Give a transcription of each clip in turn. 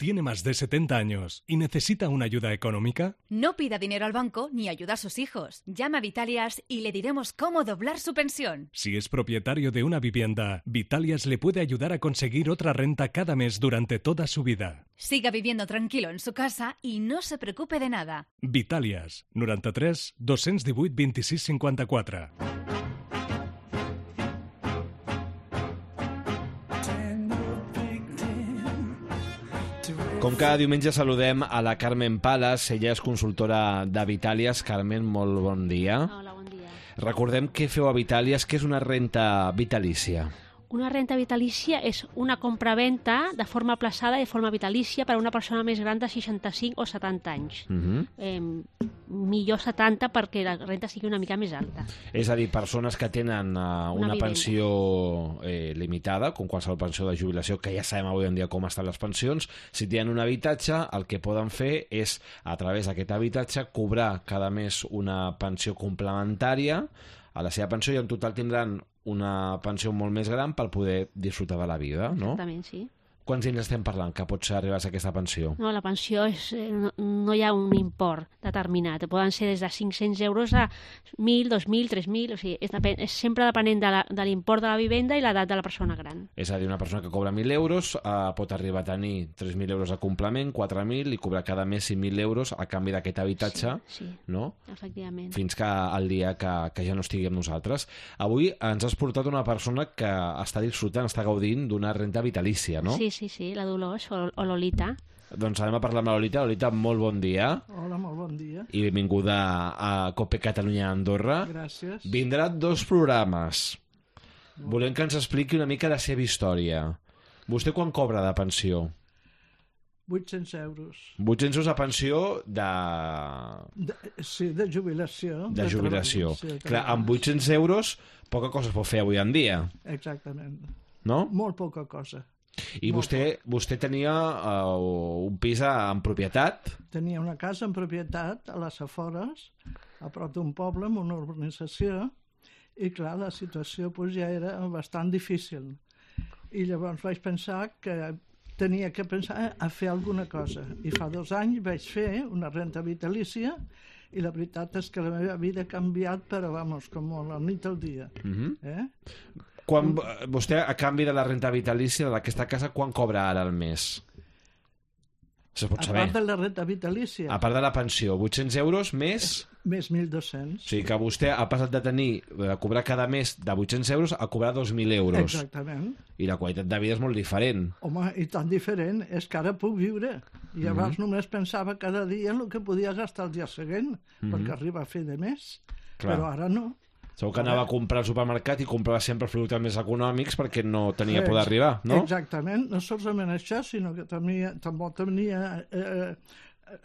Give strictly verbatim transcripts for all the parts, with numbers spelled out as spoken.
tiene más de setenta años y necesita una ayuda económica? No pida dinero al banco ni ayuda a sus hijos. Llama a Vitalias y le diremos cómo doblar su pensión. Si es propietario de una vivienda, Vitalias le puede ayudar a conseguir otra renta cada mes durante toda su vida. Siga viviendo tranquilo en su casa y no se preocupe de nada. Vitalias, noranta-tres dos-cents divuit vint-i-sis cinquanta-quatre. Com cada diumenge saludem a la Carmen Palas, ella és consultora de Vitalias. Carmen, molt bon dia. Hola, bon dia. Recordem què feu a Vitalias, què és una renta vitalícia. Una renta vitalícia és una compraventa de forma aplaçada i de forma vitalícia per a una persona més gran de seixanta-cinc o setanta anys. Uh -huh. eh, millor setanta perquè la renta sigui una mica més alta. És a dir, persones que tenen uh, una, una pensió eh, limitada, com qualsevol pensió de jubilació, que ja sabem avui en dia com estan les pensions, si tenen un habitatge, el que poden fer és, a través d'aquest habitatge, cobrar cada mes una pensió complementària a la seva pensió i en total tindran una pensió molt més gran per poder disfrutar de la vida, no? Exactament, sí. Quants diners estem parlant que pots arribar a aquesta pensió? No, la pensió és, no, no hi ha un import determinat. Poden ser des de cinc-cents euros a mil, dos mil, tres mil, o sigui, és, depèn, és sempre depenent de, la, de l'import de la vivenda i l'edat de la persona gran. És a dir, una persona que cobra mil euros eh, pot arribar a tenir tres mil euros de complement, quatre mil, i cobrar cada mes cinc mil euros a canvi d'aquest habitatge, sí, sí, no? Efectivament. Fins que el dia que, que ja no estigui amb nosaltres. Avui ens has portat una persona que està disfrutant, està gaudint d'una renta vitalícia, no? Sí, sí, sí, la Dolors o, o Lolita. Doncs anem a parlar amb la Lolita. Lolita, molt bon dia. Hola, molt bon dia. I benvinguda a Cope Catalunya Andorra. Gràcies. Vindrà dos programes. Volem que ens expliqui una mica la seva història. Vostè quan cobra de pensió? vuit-cents euros. vuit-cents euros de pensió de... de... Sí, de jubilació. De jubilació. Sí, clar, amb vuit-cents euros poca cosa es pot fer avui en dia. Exactament. No? Molt poca cosa. I vostè, vostè tenia uh, un pis en propietat? Tenia una casa en propietat a les afores, a prop d'un poble, en una urbanització, i clar, la situació pues, ja era bastant difícil. I llavors vaig pensar que tenia que pensar a fer alguna cosa. I fa dos anys vaig fer una renta vitalícia i la veritat és que la meva vida ha canviat, però, vamos, com la nit al dia. Uh-huh. Eh? Quan, vostè, a canvi de la renta vitalícia d'aquesta casa, quan cobra ara al mes? Se pot saber. A part de la renta vitalícia. A part de la pensió, vuit-cents euros més... Més mil dos-cents. O sigui que vostè ha passat de tenir, de cobrar cada mes de vuit-cents euros a cobrar dos mil euros. Exactament. I la qualitat de vida és molt diferent. Home, i tan diferent, és que ara puc viure. I abans mm-hmm. només pensava cada dia en el que podia gastar el dia següent, mm-hmm. perquè arriba a fer de més. Clar. Però ara no. Segur que anava a comprar al supermercat i comprava sempre els productes més econòmics perquè no tenia por d'arribar, no? Exactament, no solament això, sinó que tenia, també tenia eh,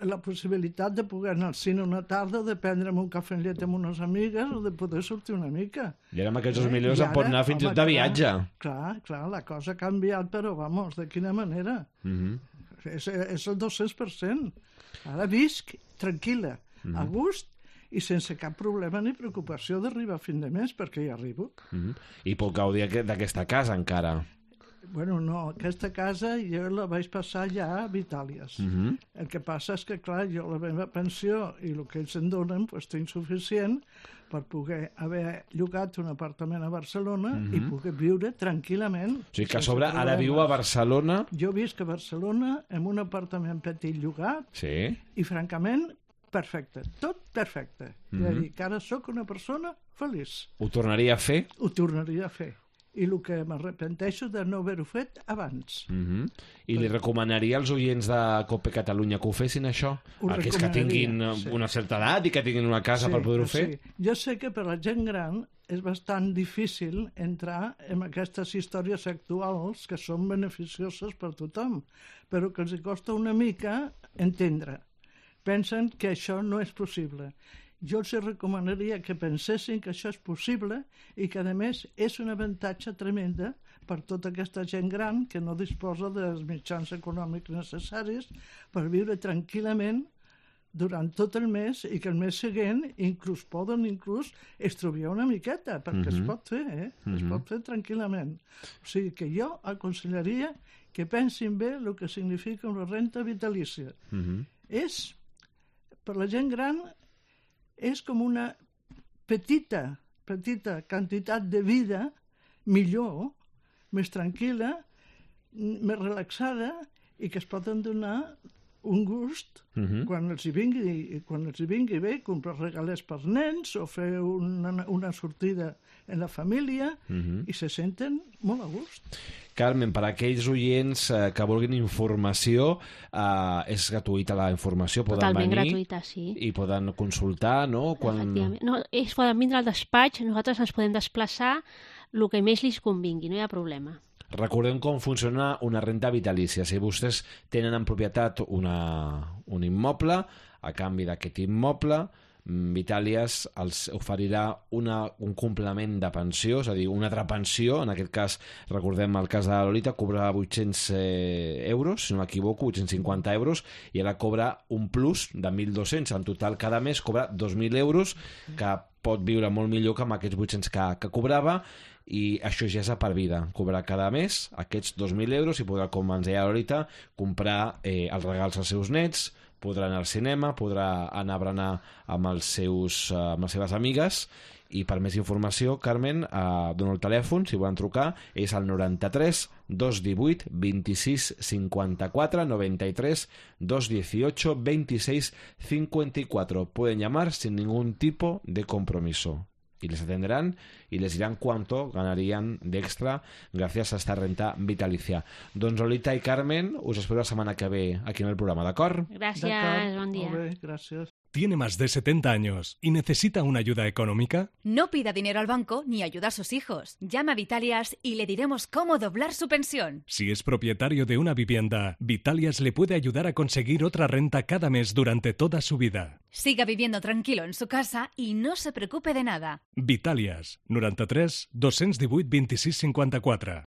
la possibilitat de poder anar al cine una tarda, de prendre'm un cafè amb llet amb unes amigues o de poder sortir una mica. I ara amb aquests dos mil euros em pot anar fins i tot de viatge. Clar, clar, la cosa ha canviat, però, vamos, de quina manera? Mm-hmm. És, és el dos-cents per cent. Ara visc tranquil·la, mm-hmm. a gust, i sense cap problema ni preocupació d'arribar a fin de mes, perquè hi arribo. Mm-hmm. I puc gaudir d'aquesta casa encara? Bueno, no, aquesta casa jo la vaig passar ja a Vitalias. Mm-hmm. El que passa és que, clar, jo la meva pensió i el que ells em donen pues, té insuficient per poder haver llogat un apartament a Barcelona mm-hmm. i poder viure tranquil·lament. O sigui que a sobre ara viu a Barcelona... Jo visc a Barcelona en un apartament petit llogat sí. i, francament, perfecte, tot perfecte. Mm-hmm. És a dir, que ara sóc una persona feliç. Ho tornaria a fer? Ho tornaria a fer. I el que m'arrepenteixo de no haver-ho fet abans. Mm-hmm. I li recomanaria als oients de Cope Catalunya que ho fessin, això? Ho Aquells que tinguin sí. una certa edat i que tinguin una casa sí, per poder-ho fer? Sí. Jo sé que per la gent gran és bastant difícil entrar en aquestes històries actuals que són beneficioses per tothom, però que els costa una mica entendre. Pensen que això no és possible. Jo els recomanaria que pensessin que això és possible i que, a més, és un avantatge tremenda per tota aquesta gent gran que no disposa dels mitjans econòmics necessaris per viure tranquil·lament durant tot el mes i que el mes següent inclús poden inclús estroviar una miqueta, perquè mm-hmm. es pot fer, eh? Mm-hmm. Es pot fer tranquil·lament. O sigui que jo aconsellaria que pensin bé el que significa una renta vitalícia. Uh-huh. És, per la gent gran, és com una petita, petita quantitat de vida millor, més tranquil·la, més relaxada i que es poden donar un gust uh-huh. quan els hi vingui, quan els hi vingui bé, comprar regalets per nens o fer una, una sortida en la família uh-huh. i se senten molt a gust. Carmen, per a aquells oients eh, que vulguin informació, eh, és gratuïta la informació, poden Totalment venir gratuïta, sí. i poden consultar, no? Quan... Efectivament. No, ells poden vindre al despatx, nosaltres ens podem desplaçar el que més li convingui, no hi ha problema. Recordem com funciona una renta vitalícia. Si vostès tenen en propietat una, un immoble, a canvi d'aquest immoble, Vitàlies els oferirà una, un complement de pensió, és a dir, una altra pensió. En aquest cas, recordem el cas de la Lolita, cobra vuit-cents euros, si no m'equivoco, vuit-cents cinquanta euros, i ara cobra un plus de mil dos-cents. En total, cada mes cobra dos mil euros, que pot viure molt millor que amb aquests vuit-cents que, que cobrava, i això ja és a per vida. Cobrar cada mes aquests dos mil euros i podrà, com ens deia la Lolita, comprar eh, els regals als seus nets, podrà anar al cinema, podrà anar a berenar amb, els seus, uh, amb les seves amigues. I per més informació, Carmen, uh, dona el telèfon, si volen trucar, és el noranta-tres dos divuit vint-i-sis cinquanta-quatre, noranta-tres dos dieciocho veintiséis cincuenta y cuatro. Pueden llamar sin ningún tipo de compromiso. Y les atenderán y les dirán cuánto ganarían de extra gracias a esta renta vitalicia. Doncs Lolita i Carmen, us espero la setmana que ve aquí en el programa, d'acord? Gràcies, bon dia. Molt bé, gràcies. ¿Tiene más de setenta años y necesita una ayuda económica? No pida dinero al banco ni ayuda a sus hijos. Llama a Vitalias y le diremos cómo doblar su pensión. Si es propietario de una vivienda, Vitalias le puede ayudar a conseguir otra renta cada mes durante toda su vida. Siga viviendo tranquilo en su casa y no se preocupe de nada. Vitalias, noranta-tres dos divuit vint-i-sis cinquanta-quatre.